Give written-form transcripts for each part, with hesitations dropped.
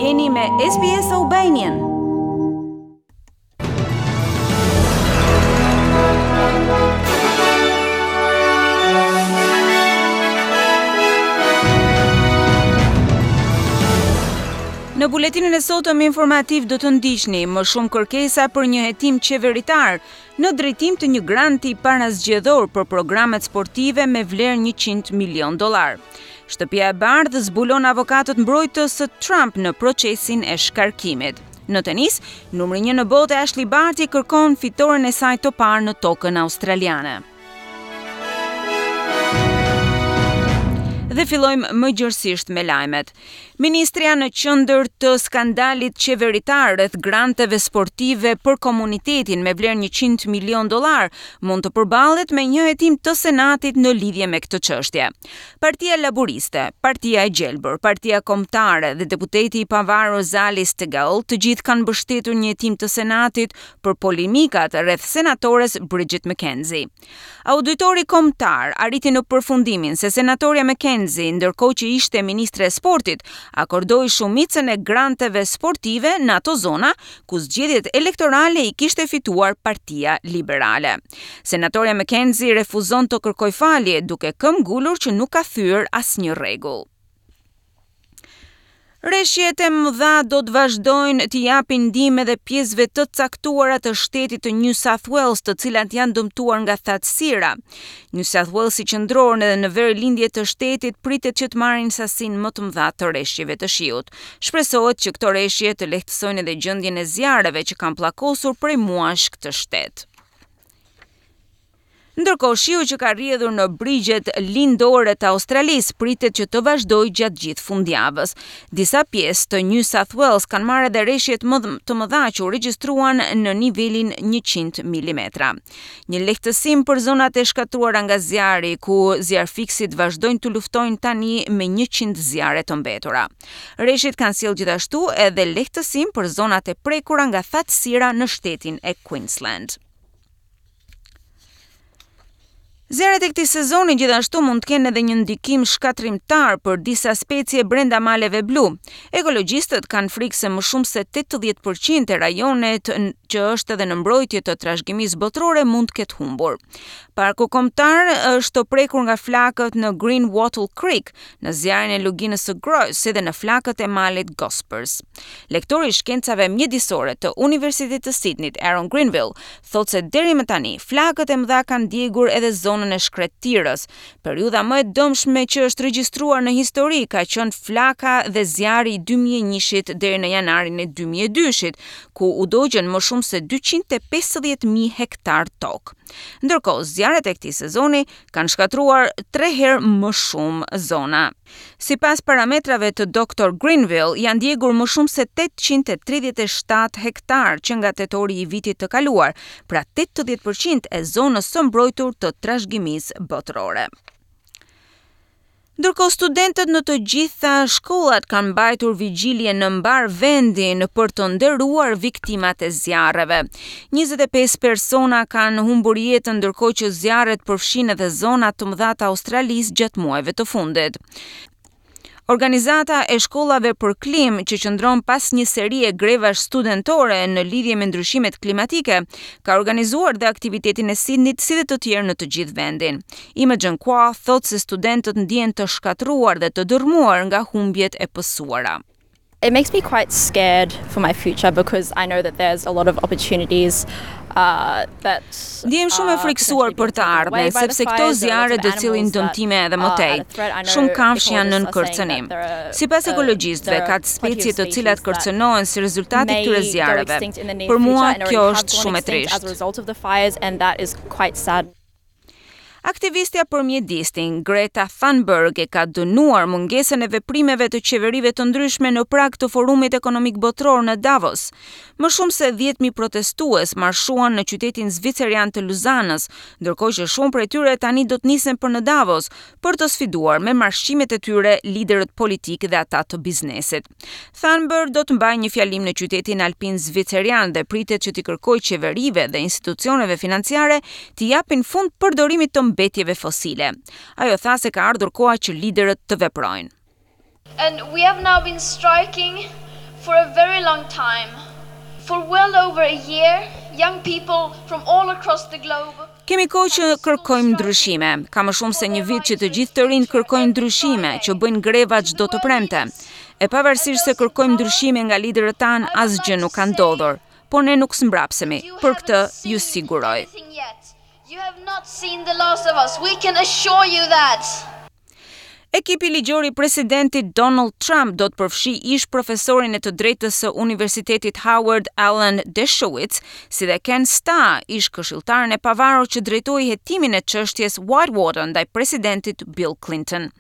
Jeni me SBS Albanian. Në buletinin e sotëm informativ do të ndiqni më shumë kërkesa për një hetim qeveritar në drejtim të një granti parazgjedhor për programet sportive me vlerë 100 milionë dollarë. Shtëpia e Bardhë zbulon avokatët mbrojtës të Trump në procesin e shkarkimit. Në tenis, numri 1 në botë Ashley Barty kërkon fitoren e saj të parë në tokën australiane. Dhe fillojmë më gjerësisht me lajmet. Ministrja në qendër të skandalit qeveritar rreth granteve sportive për komunitetin me vlerë 100 milionë dollarë mund të përballet me një hetim të Senatit në lidhje me këtë çështje. Partia Laburiste, Partia e Gjelbër, Partia Kombëtare dhe deputeti i pavarur Zali Steggall të gjithë kanë mbështetur një hetim të Senatit për polemikat rreth senatores Bridget McKenzie. Auditori Kombëtar arriti në përfundimin se senatorja McKenzie, ndërkohë që ishte ministre e Sportit, akordoi shumicën e granteve sportive në ato zona ku zgjedhjet elektorale i kishte fituar Partia Liberale. Senatorja McKenzie refuzon të kërkojë falje, duke këmbgulur që nuk ka thyer asnjë rregull. Reshjet e mëdha do të vazhdojnë t'i japin ndihmë edhe pjesëve të caktuara të shtetit të New South Wales, të cilat janë dëmtuar nga thatësira. New South Walesi qendror edhe në verilindje të shtetit pritet që të marrin sasinë më të mëdha të reshjeve të shiut. Shpresohet që këto reshje të lehtësojnë edhe gjendjen e zjarreve që kanë pllakosur prej muajsh këtë shtet. Ndërkohë, shiu që ka rrjedhur në brigjet lindore të Australisë pritet që të vazhdojë gjatë gjithë fundjavës. Disa pjesë të New South Wales kanë marrë edhe reshjet më të mëdha që u regjistruan në nivelin 100 mm. Një lehtësim për zonat e shkatërruara nga zjarri, ku zjarrfikësit vazhdojnë të luftojnë tani me 100 zjarre të mbetura. Reshjet kanë sjellë gjithashtu edhe lehtësim për zonat e prekura nga thatësira në shtetin e Queensland. Zjarret e këtij sezoni gjithashtu mund të kenë edhe një ndikim shkatërrimtar për disa specie brenda maleve blu. Ekologjistët kanë frikë se më shumë se 80% e rajonit që është edhe në mbrojtje të trashëgimisë botërore mund të ketë humbur. Parku kombëtar është prekur nga flakët në Green Wattle Creek, në zjarrin e luginës së Grose, si dhe në flakët e malit Gospers. Lektori i shkencave mjedisore të Universitetit të Sydneyt, Aaron Grenville, thotë se deri më tani, flakët e mëdha kanë djegur edhe zonën e shkretëtirës. Periudha më e dëmshme që është regjistruar në histori ka qenë flaka dhe zjarri i 2001-shit deri në janarin e 2002-shit, ku u dogjën më shumë se 250.000 hektar tokë. Ndërkohë, zjarret e këtij sezoni kanë shkatërruar tre herë më shumë zona. Sipas parametrave të Dr. Grenville, janë djegur më shumë se 837 hektar që nga tetori i vitit të kaluar, pra 80% e zonës së mbrojtur të trashëgimisë botërore. Ndërkohë studentët në të gjitha shkollat kanë mbajtur vigjilje në mbarë vendin për të nderuar viktimat e zjarreve. 25 persona kanë humbur jetën ndërkohë që zjarret përfshinë edhe zona të mëdha të Australisë gjatë muajve të fundit. Organizata e shkollave për klimë që qëndron pas një serie grevash studentore në lidhje me ndryshimet klimatike, ka organizuar dhe aktivitetin e Sydneyt si dhe të tjerë në të gjithë vendin. Imogen Kwa thotë se studentët ndihen të shkatërruar dhe të dërrmuar nga humbjet e pësuara. It makes me quite scared for my future because I know that there's a lot of opportunities uh, that Ndihem shumë e frikësuar për të ardhmen, sepse këto zjarre do të sjellin dëmtime edhe më tej. Shumë kafshë janë nën kërcënim. Sipas ekologjistëve, ka specie të cilat kërcënohen si rezultat i këtyre zjarreve. Për mua kjo është shumë e trishtë. Aktivistja për mjedisin, Greta Thunberg e ka dënuar mungesën e veprimeve të qeverive të ndryshme në prag të Forumit Ekonomik Botëror në Davos. Më shumë se 10.000 protestues marshuan në qytetin zvicerian të Luzanës, ndërkohë që shumë prej tyre tani do të nisen për në Davos për të sfiduar me marshimet e tyre liderët politikë dhe ata të biznesit. Thunberg do të mbajë një fjalim në qytetin alpin zvicerian dhe pritet që t'i kërkojë qeverive dhe institucioneve financiare t'i japin fund përdorimit të mbetjeve fosile. Ajo tha se ka ardhur koha që liderët të veprojnë. And we have now been striking. for a very long time. For well over a year, young people from all across the globe Kemi kohë që kërkojmë ndryshime. Ka më shumë se një vit që të gjithë të rinjtë kërkojnë ndryshime, që bëjnë greva çdo të premte. E pavarësisht se kërkojmë ndryshime nga liderët tanë, asgjë nuk ka ndodhur. Por ne nuk zmbrapsemi, për këtë ju siguroj. You have not seen the last of us, we can assure you that. Ekipi ligjor i presidentit Donald Trump do të përfshijë ish-profesorin e të drejtës së Universitetit Howard Alan Dershowitz, si dhe Ken Starr, ish-këshilltarin e pavarur që drejtoi hetimin e çështjes Whitewater ndaj presidentit Bill Clinton.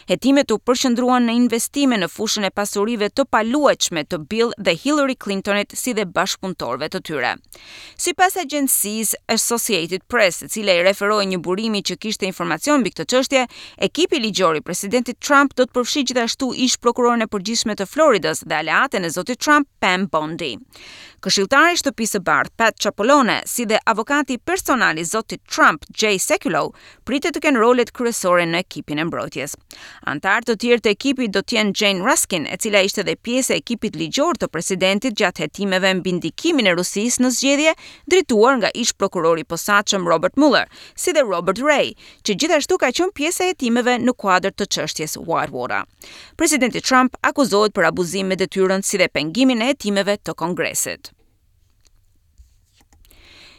Hetimet u përqendruan në investime në fushën e pasurive të paluajtshme të Bill dhe Hillary Clintonit si dhe bashkëpunëtorëve të tyre. Sipas agjencisë Associated Press, e cila i referohej një burimi që kishte informacion mbi këtë çështje, ekipi ligjor i presidentit Trump do të përfshijë gjithashtu ish-prokuroren e përgjithshme të Floridës dhe aleaten e zotit Trump, Pam Bondi. Këshilltari i Shtëpisë së Bardhë, Pat Cipollone, si dhe avokati personal i zotit Trump, Jay Sekulow, pritet të kenë rolet kryesore në ekipin e mbrojtjes. Anëtarë të tjerë të ekipit do të jenë Jane Raskin, e cila ishte dhe pjesë e ekipit ligjor të presidentit gjatë hetimeve mbi ndikimin e Rusisë në zgjedhje, drejtuar nga ish-prokurori i posaçëm Robert Mueller, si dhe Robert Ray, që gjithashtu ka qenë pjesë e hetimeve në kuadër të çështjes Whitewater. Presidenti Trump akuzohet për abuzim me detyrën si dhe pengimin e hetimeve të Kongresit.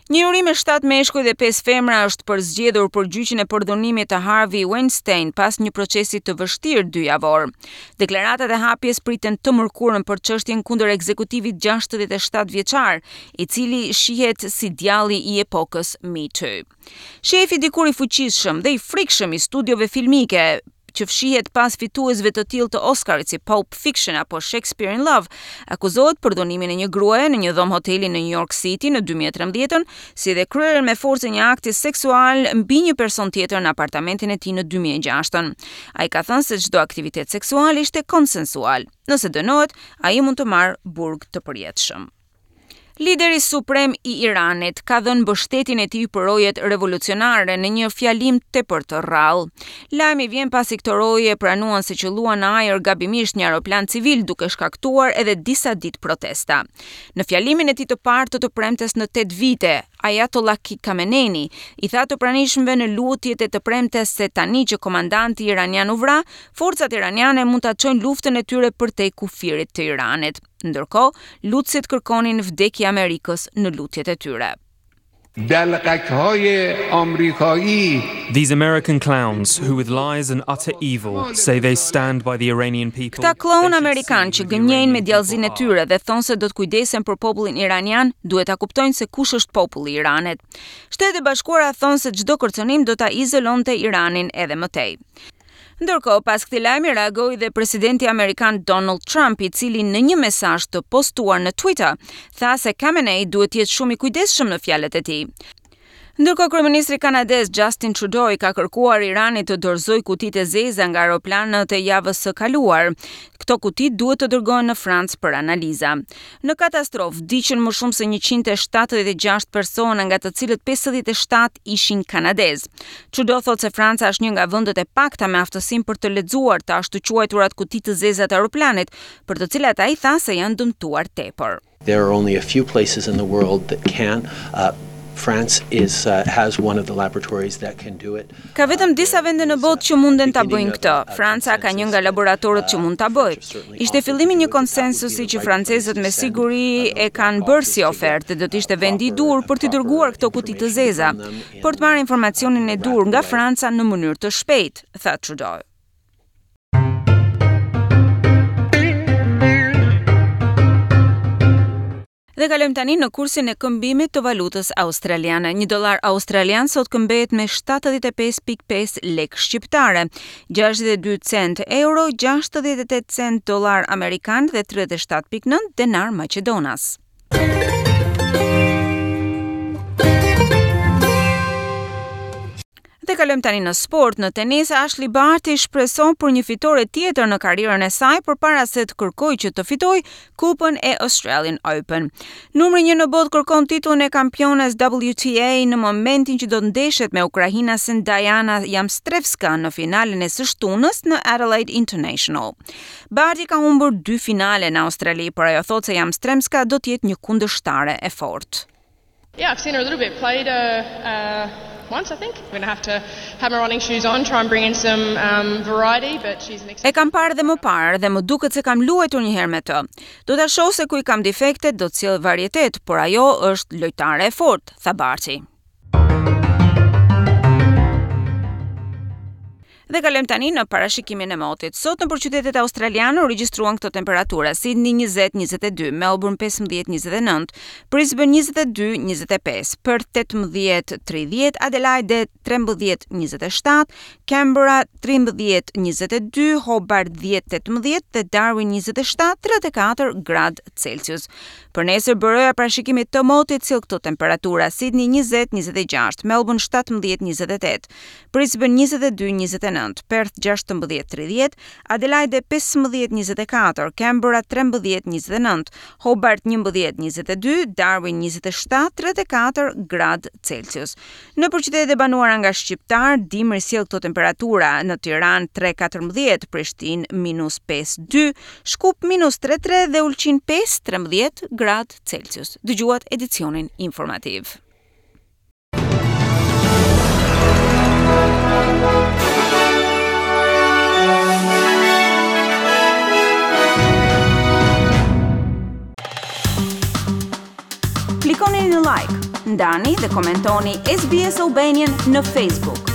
Një juri me 7 meshkuj dhe 5 femra është përzgjedhur për gjyqin e përdhunimit të Harvey Weinstein pas një procesi të vështirë dy javor. Deklaratat e hapjes priten të mërkurën për çështjen kundër ekzekutivit 67 vjeçar, i cili shihet si djalli i epokës Me Too. Shefi dikur i fuqishëm dhe i frikshëm i studiove filmike, që fshihet pas fituesve të tillë të Oscarit si Pulp Fiction apo Shakespeare in Love, akuzohet për dhunimin e një gruaje në një dhomë hoteli në New York City në 2013-ën, si dhe kryerjen me forcë e një akti seksual mbi një person tjetër në apartamentin e tij në 2006-ën. Ai ka thënë se çdo aktivitet seksual ishte konsensual. Nëse dënohet, ai mund të marrë burg të përjetshëm. Lideri suprem i Iranit ka dhënë mbështetjen e tij për rojet revolucionare në një fjalim tepër të rrallë. Lajmi vjen pasi këto roje pranuan se qëlluan në ajër gabimisht një aeroplan civil duke shkaktuar edhe disa ditë protesta. Në fjalimin e tij të parë të të premtes në 8 vite, Ayatollah Khamenei i tha të pranishmëve në lutjet e të premtes se tani që komandanti iranian u vra, forcat iraniane mund ta çojnë luftën e tyre përtej kufirit të Iranit. Ndërkohë, lutësit kërkonin vdekje Amerikës në lutjet e tyre. These American clowns, who with lies and utter evil say they stand by the Iranian people. Këta klloun amerikanë që gënjejnë me djallëzinë e tyre dhe thonë se do të kujdesen për popullin iranian, duhet ta kuptojnë se kush është populli i Iranit. Shtetet e Bashkuara thonë se çdo kërcënim do ta izolonte Iranin edhe më tej. Ndërkohë, pas këtij lajmi reagoi dhe presidenti amerikan Donald Trump, i cili në një mesazh të postuar në Twitter, tha se Khamenei duhet të jetë shumë i kujdesshëm në fjalët e tij. Ndërkohë, kryeministri kanadez Justin Trudeau i ka kërkuar Iranit të dorëzojë kutitë e zeza nga aeroplanët e javës së kaluar. Këto kuti duhet të dërgohen në Francë për analiza. Në katastrofë vdiqën më shumë se 176 persona, nga të cilët 57 ishin kanadezë. Trudeau thotë se Franca është një nga vendet e pakta me aftësinë për të lexuar të ashtuquajturat kuti të zeza të aeroplanit, për të cilat ai tha se janë dëmtuar tepër. There are only a few places in the world that can. Uh, France is uh, has one of the laboratories that can do it. Ka vetëm disa vende në botë që munden ta bëjnë këtë. Franca ka një nga laboratorët që mund ta bëjë. Ishte fillimi i një konsensusi që francezët me siguri e kanë bërë si ofertë dhe do të ishte vendi i duhur për t'i dërguar këto kuti të zeza, për të marrë informacionin e duhur nga Franca në mënyrë të shpejtë, tha Trudeau. Dhe kalojmë tani në kursin e këmbimit të valutës australiane. Një dollar australian sot këmbehet me 75.5 lekë shqiptare, 62 cent euro, 68 cent dollar amerikan dhe 37.9 denar maqedonas. Dhe kalojmë tani në sport. Në tenis, Ashley Barty shpreson për një fitore tjetër në karrierën e saj përpara se të kërkojë që të fitojë Kupën e Australian Open. Numri 1 në botë kërkon titullin e kampiones WTA në momentin që do të ndeshet me ukrainasen Dayana Yastremska në finalen e së shtunës në Adelaide International. Barty ka humbur dy finale në Australi, por ajo thotë se Yastremska do të jetë një kundërshtare e fortë. Yeah, I've seen her a little bit. Played her uh, once, I think. I'm going to have to have my running shoes on, try and bring in some um, variety, but she's an E kam parë dhe më parë dhe më duket se kam luajtur një herë me të. Do ta shoh se ku i kam defektet, do të sjell varietet, por ajo është lojtare e fortë, tha Barty. Dhe kalojmë tani në parashikimin e motit. Sot nëpër qytetet australiane u regjistruan këto temperatura: Sydney 20 22, Melbourne 15 29, Brisbane 22 25, Perth 18 30, Adelaide 13 27, Canberra 13 22, Hobart 10 18 dhe Darwin 27 34 gradë Celsius. Për nesër byroja e parashikimit të motit sjell këto temperatura: Sydney 20 26, Melbourne 17 28, Brisbane 22 29, Perth 16 30, Adelaide 15 24, Canberra 13 29, Hobart 11 22, Darwin 27 34 gradë Celsius. Nëpër qytetet e banuara nga shqiptarë, dimri sjell këto temperatura në Tiranë 3 14, Prishtinë minus 5 2, Shkup minus 3 3 dhe Ulqin 5 13 gradë Celsius. Dëgjuat edicionin informativ. Klikoni në like, ndani dhe komentoni SBS Albanian në Facebook.